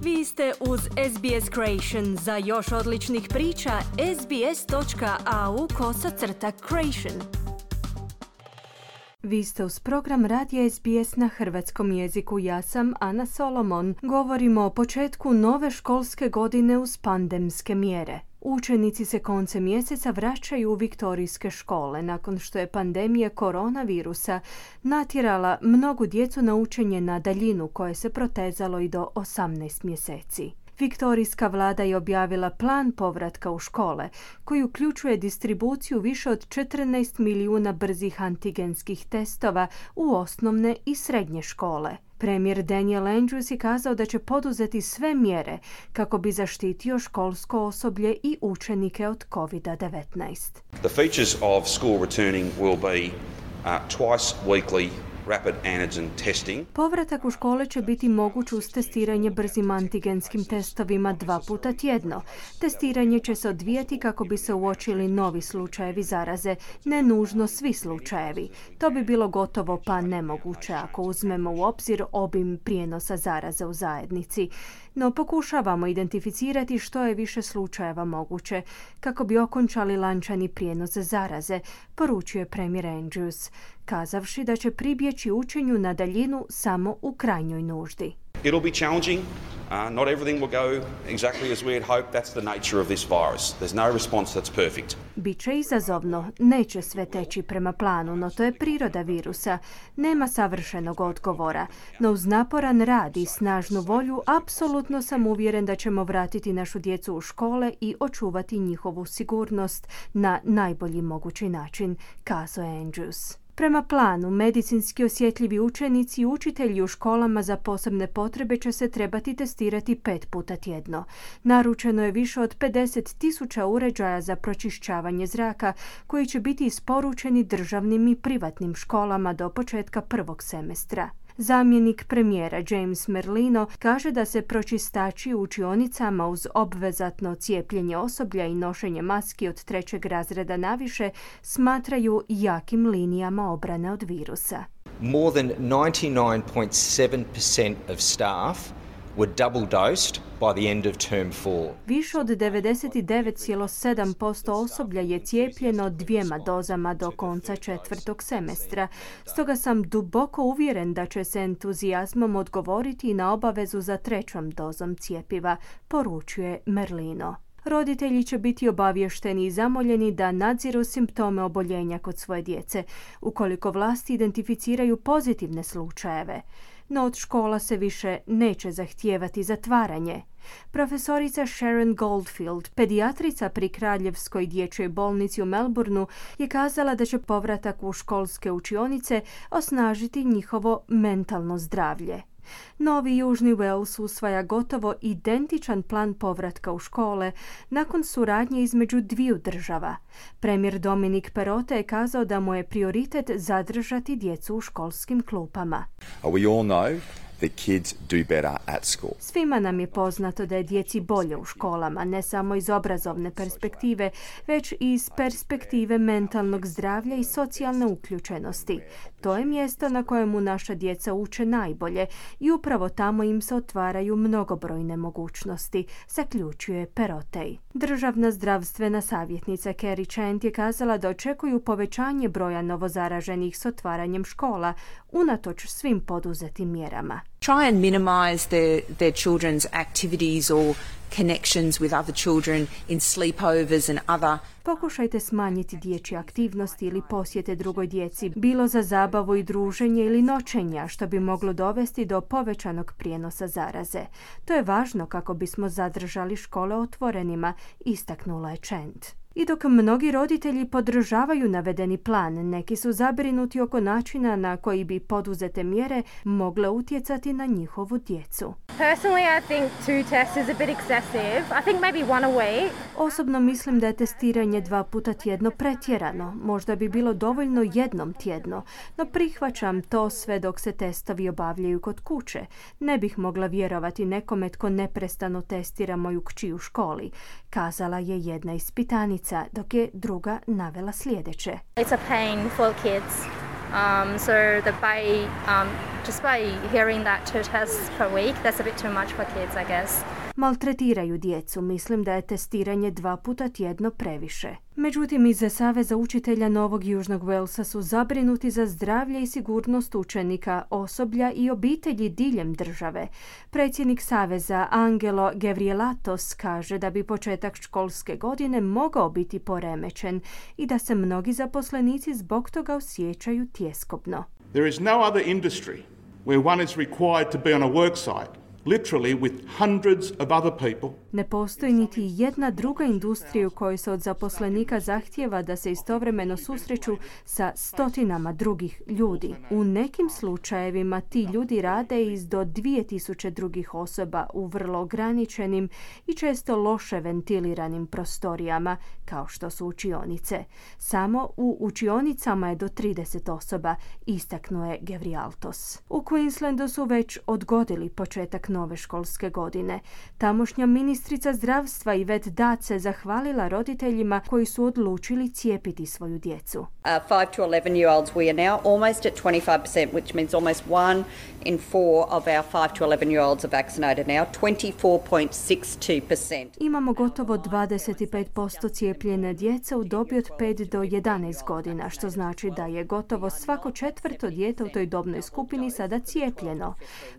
Vi ste uz SBS Creation. Za još odličnih priča, sbs.au/creation. Vi ste uz program Radija SBS na hrvatskom jeziku. Ja sam Ana Solomon. Govorimo o početku nove školske godine uz pandemske mjere. Učenici se koncem mjeseca vraćaju u viktorijske škole nakon što je pandemija koronavirusa natjerala mnogu djecu na učenje na daljinu koje se protezalo i do 18 mjeseci. Viktorijska vlada je objavila plan povratka u škole koji uključuje distribuciju više od 14 milijuna brzih antigenskih testova u osnovne i srednje škole. Premijer Daniel Andrews je kazao da će poduzeti sve mjere kako bi zaštitio školsko osoblje i učenike od COVID-19. The features of school returning will be twice weekly rapid antigen testing. Povratak u škole će biti moguć uz testiranje brzim antigenskim testovima 2 puta tjedno. Testiranje će se odvijati kako bi se uočili novi slučajevi zaraze, ne nužno svi slučajevi. To bi bilo gotovo pa nemoguće ako uzmemo u obzir obim prijenosa zaraze u zajednici. No pokušavamo identificirati što je više slučajeva moguće kako bi okončali lančani prijenos zaraze, poručuje premijer Andrews, kazavši da će pribjeći učenju na daljinu samo u krajnjoj nuždi. It'll be challenging. Not everything will go exactly as we had hoped. That's the nature of this virus. There's no response that's perfect. Biće izazovno, neće sve teći prema planu, no to je priroda virusa. Nema savršenog odgovora, no uz naporan rad i snažnu volju apsolutno sam uvjeren da ćemo vratiti našu djecu u škole i očuvati njihovu sigurnost na najbolji mogući način, kazao je Andrews. Prema planu, medicinski osjetljivi učenici i učitelji u školama za posebne potrebe će se trebati testirati 5 puta tjedno. Naručeno je više od 50,000 uređaja za pročišćavanje zraka koji će biti isporučeni državnim i privatnim školama do početka prvog semestra. Zamjenik premijera James Merlino kaže da se pročistači u učionicama uz obvezatno cijepljenje osoblja i nošenje maski od 3. razreda naviše smatraju jakim linijama obrane od virusa. More than 99.7% of staff were double dosed by the end of term 4. Više od 99,7% osoblja je cijepljeno 2 dozama do konca 4. semestra. Stoga sam duboko uvjeren da će se entuzijazmom odgovoriti na obavezu za 3. dozom cjepiva, poručuje Merlino. Roditelji će biti obavješteni i zamoljeni da nadziru simptome oboljenja kod svoje djece, ukoliko vlasti identificiraju pozitivne slučajeve. No od škola se više neće zahtijevati zatvaranje. Profesorica Sharon Goldfield, pedijatrica pri Kraljevskoj dječjoj bolnici u Melbourneu, je kazala da će povratak u školske učionice osnažiti njihovo mentalno zdravlje. Novi Južni Wales usvaja gotovo identičan plan povratka u škole nakon suradnje između dviju država. Premijer Dominic Perrottet je kazao da mu je prioritet zadržati djecu u školskim klupama. We all know the kids do better at school. Svima nam je poznato da je djeci bolje u školama, ne samo iz obrazovne perspektive, već i iz perspektive mentalnog zdravlja i socijalne uključenosti. To je mjesto na kojemu naša djeca uče najbolje i upravo tamo im se otvaraju mnogobrojne mogućnosti, zaključuje Perrottet. Državna zdravstvena savjetnica Kerry Chant je kazala da očekuju povećanje broja novozaraženih s otvaranjem škola, unatoč svim poduzetim mjerama. Try and minimize their children's activities or connections with other children in sleepovers and other. Pokušajte smanjiti dječje aktivnosti ili posjete drugoj djeci, bilo za zabavu i druženje ili noćenja, što bi moglo dovesti do povećanog prijenosa zaraze. To je važno kako bismo zadržali škole otvorenima, istaknula je Chant. I dok mnogi roditelji podržavaju navedeni plan, neki su zabrinuti oko načina na koji bi poduzete mjere mogle utjecati na njihovu djecu. Personally, I think 2 tests is a bit excessive. I think maybe 1 a week. Osobno mislim da je testiranje 2 puta tjedno pretjerano. Možda bi bilo dovoljno 1 tjedno, no prihvaćam to sve dok se testovi obavljaju kod kuće. Ne bih mogla vjerovati nekome tko neprestano testira moju kći u školi, kazala je jedna ispitanica, dok je druga navela sljedeće. It's a pain for kids. So just by hearing that 2 tests per week, that's a bit too much for kids, I guess. Maltretiraju djecu, mislim da je testiranje 2 puta tjedno previše. Međutim, iz Saveza učitelja Novog Južnog Walesa su zabrinuti za zdravlje i sigurnost učenika, osoblja i obitelji diljem države. Predsjednik Saveza Angelo Gavrielatos kaže da bi početak školske godine mogao biti poremećen i da se mnogi zaposlenici zbog toga osjećaju tjeskobno. There is no other industry where one is required to be on a work site, literally with hundreds of other people. Ne postoji niti jedna druga industrija u kojoj se od zaposlenika zahtijeva da se istovremeno susreću sa stotinama drugih ljudi. U nekim slučajevima ti ljudi rade iz do 2000 drugih osoba u vrlo ograničenim i često loše ventiliranim prostorijama, kao što su učionice. Samo u učionicama je do 30 osoba, istaknuo je Gavrielatos. U Queenslandu su već odgodili početak nove školske godine. Tamošnja ministrica zdravstva Yvette Dart se zahvalila roditeljima koji su odlučili cijepiti svoju djecu. 5 to 11-year-olds, we are now almost at 25%, which means almost 1 in 4 of our 5 to 11-year-olds are vaccinated now, 24.62%. Imamo gotovo 25% cijepljene djece u dobi od 5 do 11 godina, što znači da je gotovo svako 4. dijete u toj dobnoj skupini sada cijepljeno.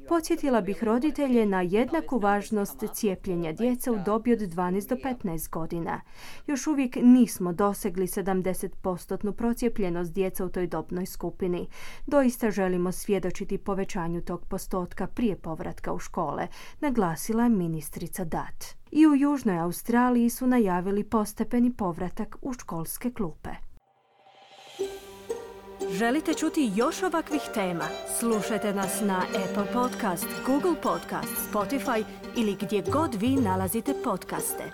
Podsjetila bih roditelje na jednaku važnost cijepljenja djece u dobi od 12 do 15 godina. Još uvijek nismo dosegli 70% procijepljenost djeca u toj dobnoj skupini. Doista želimo svjedočiti povećanju tog postotka prije povratka u škole, naglasila je ministrica Dart. I u Južnoj Australiji su najavili postepeni povratak u školske klupe. Želite čuti još ovakvih tema? Slušajte nas na Apple Podcast, Google Podcast, Spotify ili gdje god vi nalazite podcaste.